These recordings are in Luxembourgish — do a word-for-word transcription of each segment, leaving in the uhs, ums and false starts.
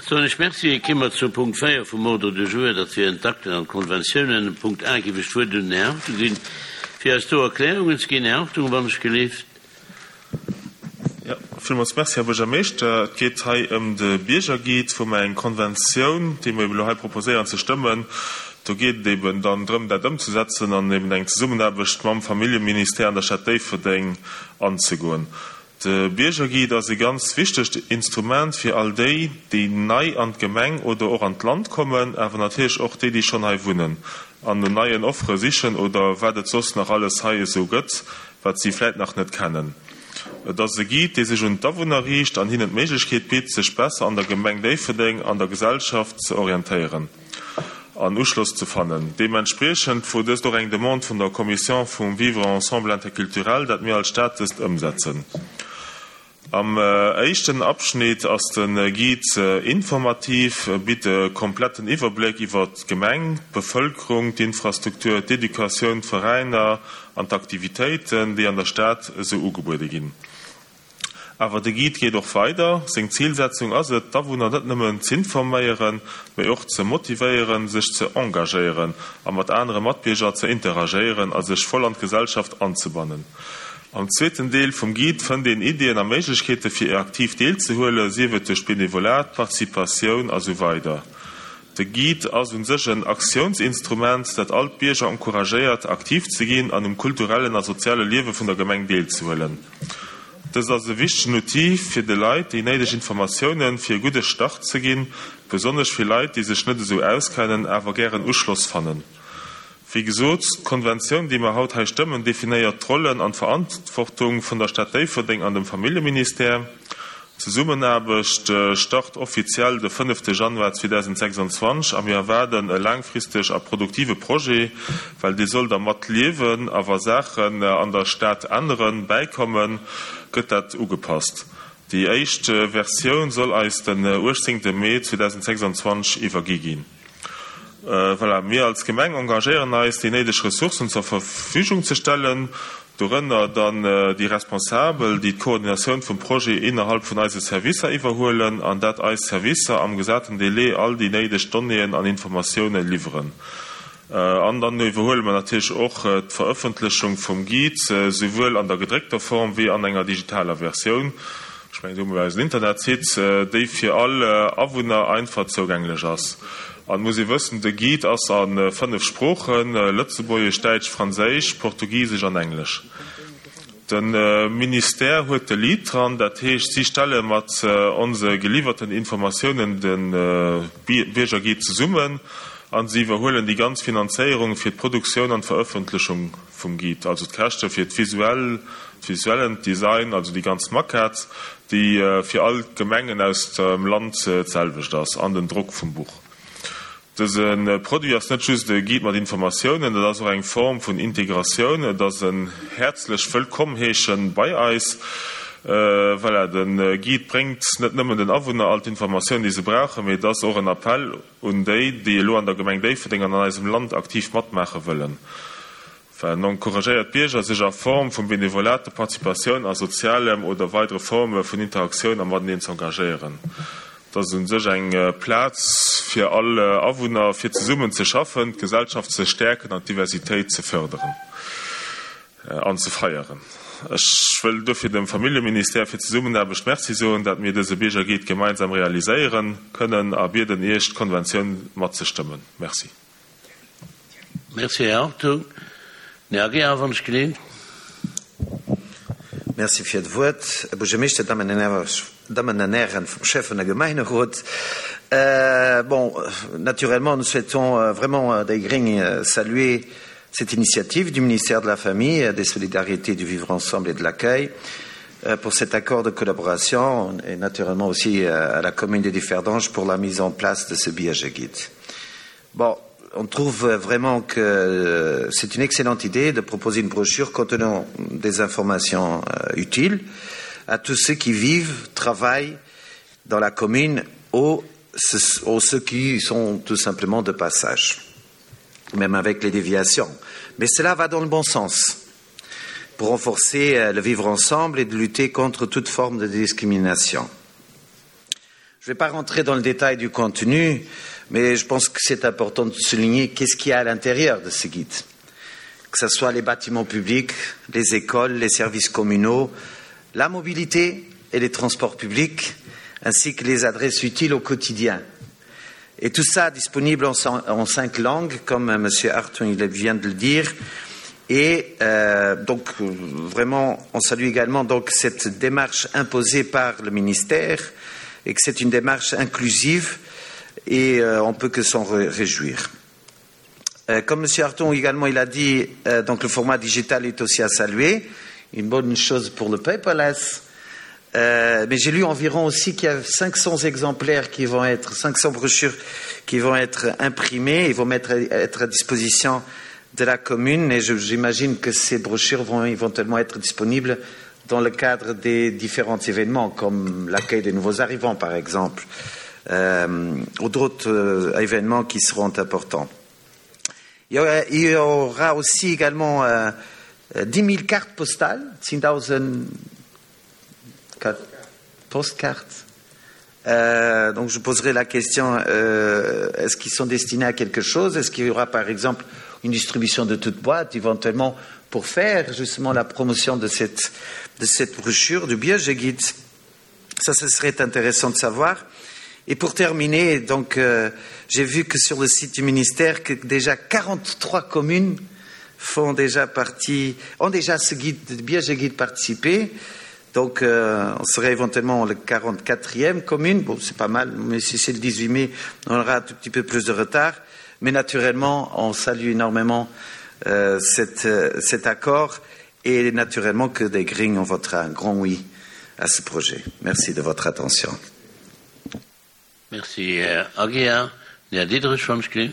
Soen ech Merci. Ki mer zum Punkt véier vum Ordre du jour, dat wieren d'Akten an d'Konventiounen. Punkt A géif ech d'Wuert un den Här Hartung ginn, fir eis do Erklärungen ze ginn. Här Hartung, wann ech gelift. Jo, villmools Merci, Här Buergermeeschter. Et geet hei ëm de Biergerguide, wou mer eng Konventioun, déi mer eben elo hei proposéieren ze stëmmen, do geet et eben dann drëm, dat ëmzesetzen an eben eng Zesummenaarbecht mam Familljeministère an der Stad Déifferdeng anzegoen. De Biergerguide ass e ganz wichtegt Instrument fir all déi, déi nei an d'Gemeng oder och an d'Land kommen, awer natierlech och déi, déi schonn hei wunnen an no neien Offere sichen oder wat et soss nach alles hei esou gëtt, wat si vläit nach net kennen. Et ass e Guide, dee sech un d'Awunner riicht an hinnen d'Méiglechkeet bitt, sech besser an der Gemeng Déifferdeng an der Gesellschaft ze orientéieren an Uschloss ze fannen. Deementspriechend wor dëst och eng Demande vun der Commission vum Vivre ensemble interculturel, dat mir als Stad dëst ëmsetzen. Am éischten Abschnitt ass de Guide informativ, e bitt e kompletten Iwwerbléck iwwer d'Gemeng, d'Bevëlkerung, d'Infrastruktur, d'Educatioun, d'Veräiner an d'Aktivitéiten, déi an der Stad esou ugebuede ginn. Awer de Guide geet och weider. Seng Zilsetzung ass et, d'Awunner net nëmmen z'informéieren, mee och ze motivéieren, sech ze engagéieren a mat anere Matbierger ze interagéieren a sech voll an d'Gesellschaft anzebannen. Am zweeten Deel vum Guide fënnt een Iddien a Méiglechkeete fir aktiv deelzehuelen, sief et duerch Benevolat, Participatioun a sou weider. De Guide ass un sech en Aktiounsinstrument, dat all d'Bierger encouragéiert, aktiv ze ginn an um kulturellen a soziale Liewe vun der Gemeng deelzehuelen. Dëst ass e wichtegen Outil, fir de Leit déi néideg Informatiounen fir e gudde Start ze ginn, besonnesch fir Leit, déi sech net esou auskennen, awer gären Uschloss fannen. Wéi gesot, d'Konventioun, déi mer haut hei stëmmen, definéiert d'Rollen an d'Verantwortung vun der Stad Déifferdeng an dem Familljeministère. D'Zesummenaarbecht start offiziell de fënnefte Januar zweedausendsechsundzwanzeg a mir erwaarden e laangfristeg a produktive Projet, well dee soll da mat liewen a wa Saachen an der Stad änneren, bäikommen, gëtt dat ugepasst. Déi éischt Versioun soll eis den uechtzéngte Mee zweedausendsechsundzwanzeg iwwergi ginn. Voilà, mir als Gemeng engagéieren eis, déi néideg Ressourcen zur Verfügung ze stellen, dorënner dann déi Responsabel, déi d'Koordinatioun vum Projet innerhalb vun eise Servicer iwwerhuelen, an dat eis Servicer am gesaten Délai all déi néideg Donnéeën an Informatioune liwweren. An dann iwwerhuele mer natierlech och d'Verëffentlechung vum Guide, souwuel an der gedréckter Form wéi an enger digitaler Versioun, ech mengen, do hu mer eisen Internetsite, déi fir all Awunner einfach zougänglech ass. An et muss ee wëssen, de Guide ass a fënnef Sproochen, Lëtzebuergesch, Däitsch, Franséisch, Portugisesch an Englesch. De Ministère huet de Lead dran, dat heescht, si stelle mat onse geliwwerten Informatiounen de Biergerguide zesummen a si iwwerhuelen déi ganz Finanzéierung fir d'Produktioun an d'Verëffentlechung vum Guide, also d'Käschte fir d'visuell, d'visuellen Design, also déi ganz Maquette, déi fir all d'Gemengen aus dem Land d'selwecht ass, an den Drock vum Buch. Dëse Produit ass net just e Guide mat Informatiounen, et ass och eng Form vun Integratioun, et ass en häerzlech Wëllkomm heeschen bei eis. Voilà, de Guide bréngt net nëmmen den Awunner all d'Informatiounen, déi se brauchen, mee et ass och en Appell un déi, déi elo an der Gemeng Déifferdeng an an eisem Land aktiv matmaache wëllen. Well en encouragéiert d'Bierger, sech a Form vum Benevolat, der Participatioun a sozialem oder weidere Forme vun Interaktioun a mateneen z'engagéieren. Et ass u sech eng Plaz fir all Awunner, fir zesummen ze schaffen, d'Gesellschaft ze stäerken an d'Diversitéit ze fërderen an ze feieren. Ech wëll dofir dem Familljeministère fir d'Zesummenaarbecht Merci soen, dat mir dëse Biergerguide gemeinsam realiséiere kënnen a bieden Iech, d'Konventioun matzestëmmen. Merci. Merci, Här Hartung. Den Här Aguiar, wann ech geleent. Merci fir d'Wuert, Här Buergermeeschter, Dammen an Hären vum Schäffen a Gemeinderot. Bon, naturellement, nous souhaitons vraiment déi gréng saluer cette initiative du ministère de la Famille, des Solidarités, du Vivre ensemble et de l'accueil pour cet accord de collaboration et naturellement aussi à la commune de Differdange pour la mise en place de ce billet guide. Bon, on trouve vraiment que c'est une excellente idée de proposer une brochure contenant des informations utiles à tous ceux qui vivent, travaillent dans la commune ou ceux qui sont tout simplement de passage, même avec les déviations. Mais cela va dans le bon sens pour renforcer le vivre ensemble et de lutter contre toute forme de discrimination. Je ne vais pas rentrer dans le détail du contenu, mais je pense que c'est important de souligner qu'est-ce qu'il y a à l'intérieur de ce guide. Que ce soit les bâtiments publics, les écoles, les services communaux, la mobilité et les transports publics, ainsi que les adresses utiles au quotidien. Et tout ça disponible en, en cinq langues, comme M. Hartung vient de le dire. Et euh, donc, vraiment, on salue également donc, cette démarche imposée par le ministère et que c'est une démarche inclusive et euh, on peut que s'en réjouir. Euh, comme M. Hartung également il a dit, euh, donc le format digital est aussi à saluer, une bonne chose pour le paperless. Euh, mais j'ai lu environ aussi qu'il y a cinq cents exemplaires qui vont être, cinq cents brochures qui vont être imprimées et vont mettre, être à disposition de la commune. Et j'imagine que ces brochures vont éventuellement être disponibles dans le cadre des différents événements, comme l'accueil des nouveaux arrivants, par exemple, euh, ou d'autres euh, événements qui seront importants. Il y aura, il y aura aussi également euh, dix mille cartes postales, zéhntausend postcards. Euh, donc je poserai la question, euh, est-ce qu'ils sont destinés à quelque chose? Est-ce qu'il y aura par exemple une distribution de toute boîte, éventuellement pour faire justement la promotion de cette, de cette brochure du Biergerguide? Ça, ce serait intéressant de savoir. Et pour terminer, donc, euh, j'ai vu que sur le site du ministère, que déjà quarante-trois communes font déjà partie, ont déjà ce guide, Biergerguide participé. Donc, euh, on serait éventuellement le quarante-quatrième commune. Bon, c'est pas mal, mais si c'est le dix-huit mai, on aura un tout petit peu plus de retard. Mais naturellement, on salue énormément euh, cette, euh, cet accord et naturellement que des Gring, on votera un grand oui à ce projet. Merci de votre attention. Merci, Herr Aguiar. Herr Diederich vom Grün.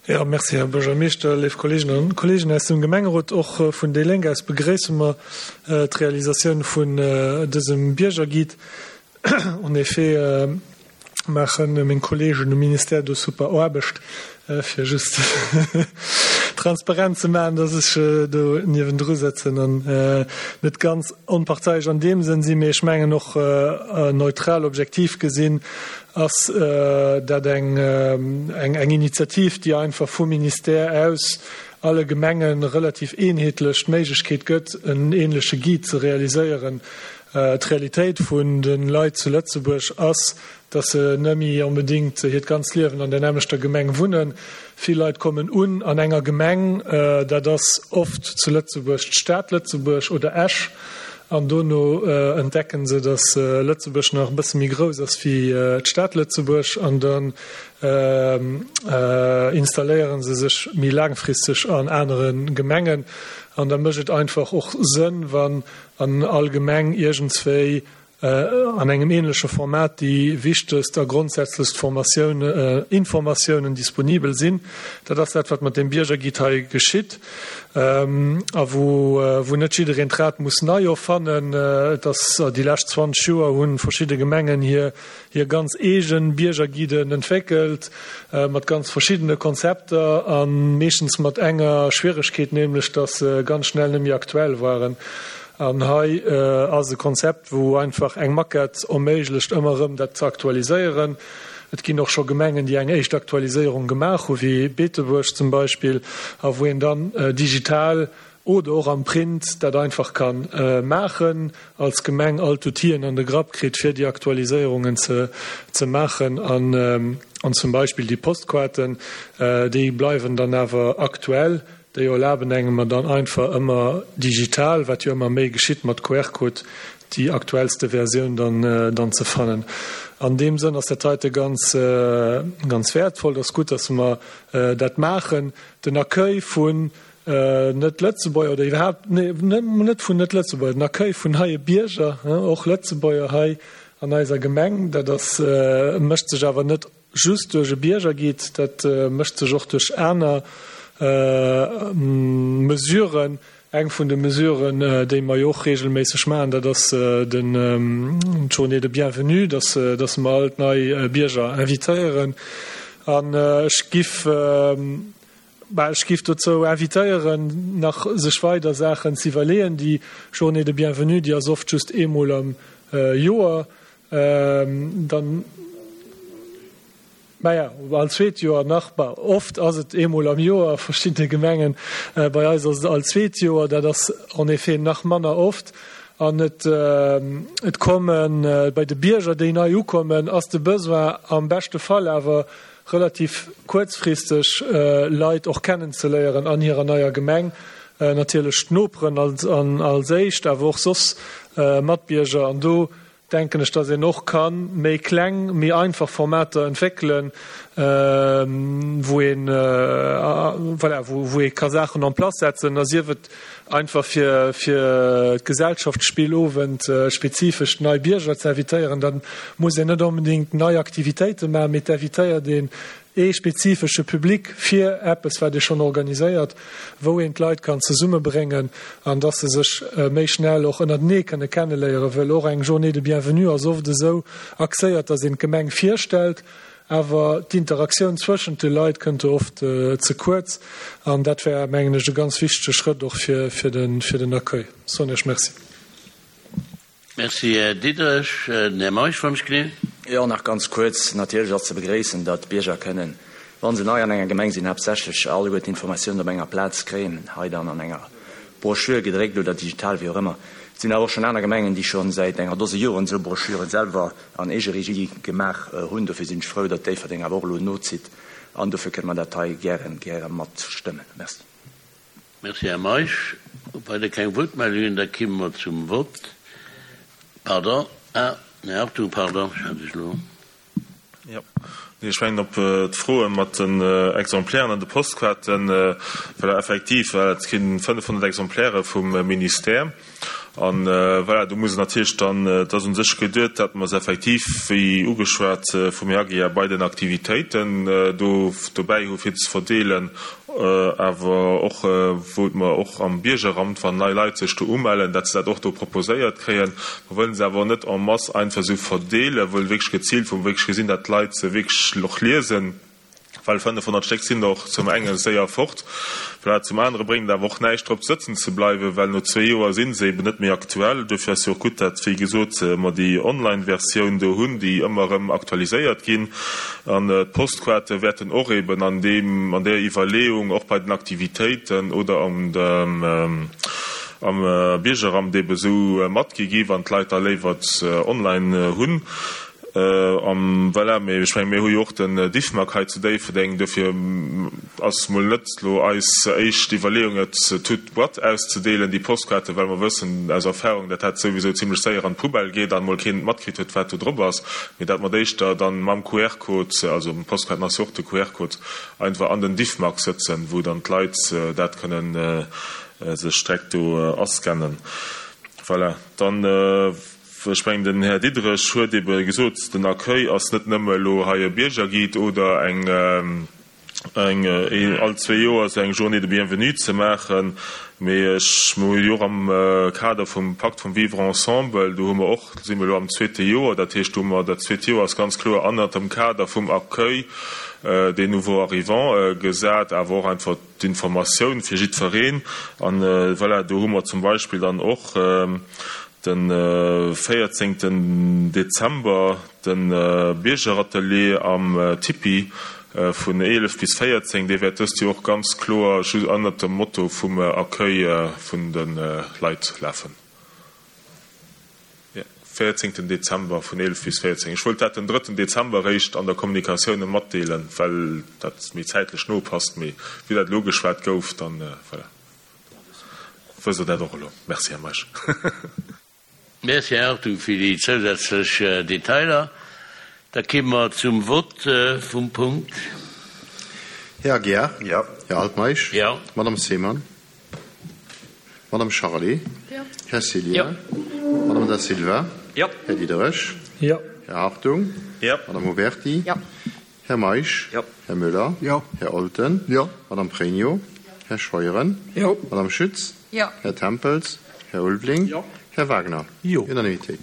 Ja, merci, Herr Buergermeeschter, léif Kolleeginnen an Kolleegen aus dem Gemengerot. Och vun déi Lénk aus begréisse mer d'Realisatioun vun dësem Biergerguide. En effet, maache meng Kolleegen um Ministère do super Aarbecht, fir just transparent ze maachen, dass ech do niewendru sëtzen an net ganz onparteiisch an deem Sënn sinn, mee ech mengen och neutral, objektiv gesinn, ass dat eng, eng, eng Initiativ, déi einfach vum Ministère aus alle Gemengen relativ eenheetlech d'Méiglechkeet gëtt, en ähnleche Guide ze realiséieren. D'Realitéit vun de Leit zu Lëtzebuerg ass, dass se net méi onbedéngt hiert ganzt Liewen an der nämmlechter Gemeng wunnen. Vill Leit kommen un an enger Gemeng, dat ass oft zu Lëtzebuerg d'Stad Lëtzebuerg oder Esch, an dono entdecken se, dass Lëtzebuerg nach e bësse méi grouss ass wéi d'Stad Lëtzebuerg, an dann installéieren se sech méi laangfristeg an anere Gemengen. An da mécht et einfach och Sënn, wann an all Gemeng iergendswéi an engem ähnleche Format déi wichtegst a grondsätzlechst Formatioun, Informatiounen disponibel sinn. Dat ass dat, wat mat dem Biergerguide hei geschitt, a wou, wou net jiddereen d'Rad muss nei erfannen. Et ass déi lescht zwanzeg Joer hunn verschidde Gemengen hir, hir ganz eegen Biergerguiden entwéckelt, mat ganz verschiddene Konzepter a meeschtens mat enger Schwieregkeet, nämlech dass se ganz schnell net méi aktuell waren. An hei ass e Konzept, wou einfach eng Maquette erméiglecht, ëmmer erëm dat ze aktualiséieren. Et ginn och scho Gemengen, déi eng éischt Aktualiséierung gemaach hu, wéi Beetebuerg zum Beispill, a wou een dann digital oder och am Print dat einfach kann maachen, als Gemeng all d'Outill'en an de Grapp kritt, fir déi Aktualiséierungen ze, ze maachen. An, an zum Beispill déi Postkaarten, déi bleiwen dann awer aktuell. Déi erlaben engem dann einfach ëmmer digital, wat jo ëmmer méi geschitt mat Q R-Code, déi aktuellste Versioun dann, dann ze fannen. An deem Sënn ass dat heite ganz, ganz wertvoll. Dat ass gutt, dass mer dat maachen. Den Accueil vun net Lëtzebuerger oder iwwerhaapt, nee, net, net vun net Lëtzebuerger, den Accueil vun neie Bierger, och Lëtzebuerger hei an eiser Gemeng, dat ass, mécht sech awer net just duerch e Biergerguide, dat mécht sech och duerch aner Mesuren. Eng vun de Mesuren, déi mer jo och regelméisseg maachen, dat ass den Journée de Bienvenue, dass, dass mer all nei Bierger invitéieren. An ech giff, bah, ech giff dozou invitéieren, nach sech weider Saachen ze iwwerleeën. Déi Journée de Bienvenue, déi ass oft just eemol am Joer. dann Maja, all zweet Joer nach, bah, oft ass et eemol am Joer a verschiddene Gemengen, bei eis ass et all zweet Joer, dat ass en effet nach manner oft. An et, et kommen, bei de Bierger, déi nei ukommen, ass de Besoin am beschte Fall awer relativ kuerzfristeg Leit och kennenzeléieren an hirer neier Gemeng, natierlech d'Noperen als, als éischt, awer och soss Matbierger. An do denken ech, dass een och ka méi kleng, méi einfach Formater entwéckelen, wou een, voilà, wou ee ka Saachen en place setzen, a sief et einfach fir, fir d'Gesellschaftsspillowend spezifesch nei Bierger ze invitéieren. Da muss een net onbedéngt nei Aktivitéite maachen, mee et invitéiert een ee spezifesche Public fir eppes, wat ee schonn organiséiert, wou een d'Leit kann zesummebréngen an dass se sech méi schnell och ënnertenee kënne kenneléieren, wëll och eng Journée de bienvenue ass oft esou axéiert, dass een d'Gemeng virstellt, awer d'Interaktioun zwëschent de Leit kënnt do oft ze kuerz. An dat wär, mengen ech, e ganz wichtege Schrëtt och fir den Accueil. Soen Iech Merci. Merci, Här Diderich. Den Här Meisch, wann ech gleewen. Jo, nach ganz kuerz. Natierlech ass ze begréissen, datt d'Bierger kënnen, wa se nei an enger Gemeng sinn, haaptsächlech alleguer d'Informatiounen op enger Plaz kréien, hei dann an enger Broschür, gedréckt oder digital, wéi och ëmmer. Et sinn awer och schonn aner Gemengen, déi scho säit enger Dose Joren esou Broschüren selwer an Eegeregie gemaach hunn. Dofir sinn ech frou, datt Déifferdeng awer och elo nozitt an dofir kënne mer dat hei gären, gäre matstëmmen. Merci. Merci, Här Meisch. Weider keng Wuertmeldungen, da kimme mer zum Vott. Pardon, ah, Här Hartung, pardon, ech hat lech elo. Jo, nee, ech mengen op d'Froe mat den Exemplairen an de Postkaarten, voilà, effektiv, voilà, et ginn fënnefhonnert Exemplaire vum Ministère. An voilà, do muss natierlech dann, et ass u sech geduet, datt mer se effektiv, wéi ugeschwat vum Här Aguiar, bei den Aktivitéiten do dobäi hu fir ze verdeelen, awer och wou mer och am Biergeramt, wann nei Leit sech do umellen, datt se dat och do proposéiert kréien. Mer wëllen se awer net en masse einfach esou verdeelen, wëllen wierklech geziilt, wou mer wierklech gesinn, datt d'Leit se wierklech och liesen. Well fënnefhonnert Stéck sinn och zum enge séier fort. Voilà, zum anere bréngt et awer och näischt drop sëtzen ze bleiwen, well no zwee Joer si se eben net méi aktuell. Dofir ass jo och gutt, dat, wéi gesot, mer déi Online-Versioun do hunn, déi ëmmer erëm aktualiséiert ginn. An d'Postkaarte wäerten och eben an deem, an där Iwwerleeung och bei den Aktivitéiten oder an dem, am Biergeramt eben esou matgi gi, wann d'Leit da léiwer et online hunn. An voilà, mee ech mengen, mir hu jo och den Diffmag hei zu Déifferdeng, dofir ass mol net elo eis éischt Iwwerleeung, et toute boîte auszedeelen, déi Postkaarten, well mer wëssen aus Erfahrung, dat dat souwisou zimlech séier an d'Poubelle geet an mol keen matkritt huet, wat do drop ass, mee dat mer d'éischter dann mam Q R-Code, also Postkaarten ass jo och de Q R-Code, einfach an den Diffmag sëtzen, wou dann d'Leit dat kënnen sech direkt do ascannen. Voilà, dann. Ech mengen, den Här Diderich huet ebe gesot, den Accueil ass net nëmme elo hei e Biergerguide oder eng, eng all zwee Joer esou eng Journée de bienvenue ze maachen, mee ech, mir hu jo och am Kader vum Pakt vum Vivre ensemble, do hu mer och, do si mer elo am zweete Joer, dat heescht, do hu mer dat zweet Joer ass ganz kloer ënnert dem Kader vum Accueil des nouveaux arrivants gesat, awer och einfach d'Informatioun fir jiddwereen. An voilà, do hu mer zum Beispill dann och de véierzéngten Dezember de Biergeratelier am Tipi vun eelef bis véierzéng. Dee wäert dëst Joer och ganz kloer just ënnert dem Motto vum Accueil vun de Leit lafen. Jo, véierzéngten Dezember vun eelef bis véierzéng. Ech wollt dat den drëtten Dezember eréischt an der Kommunikatioun matdeelen, well dat méi zäitlech no passt. Mee wéi dat elo ugeschwat gouf, dann voilà, wësst Der dat och elo. Merci, Här Meisch. Merci, Här Hartung, fir déi zousätzlech Detailer. Da kimme mer zum Vott vum Punkt. Här Aguiar. Jo. Här Altmeisch. Jo. Madame Seemann. Madame Charlé. Jo. Här Cillien. Jo. Madame Da Silva. Jo. Här Diderich. Jo. Här Hartung. Jo. Madame Huberty. Jo. Här Meisch. Jo. Här Müller. Jo. Här Olten. Jo. Madame Pregno. Här Scheuren. Jo. Madame Schütz. Jo. Här Tempels. Här Ulveling. Jo. Här Wagner. Jo. Unanimitéit.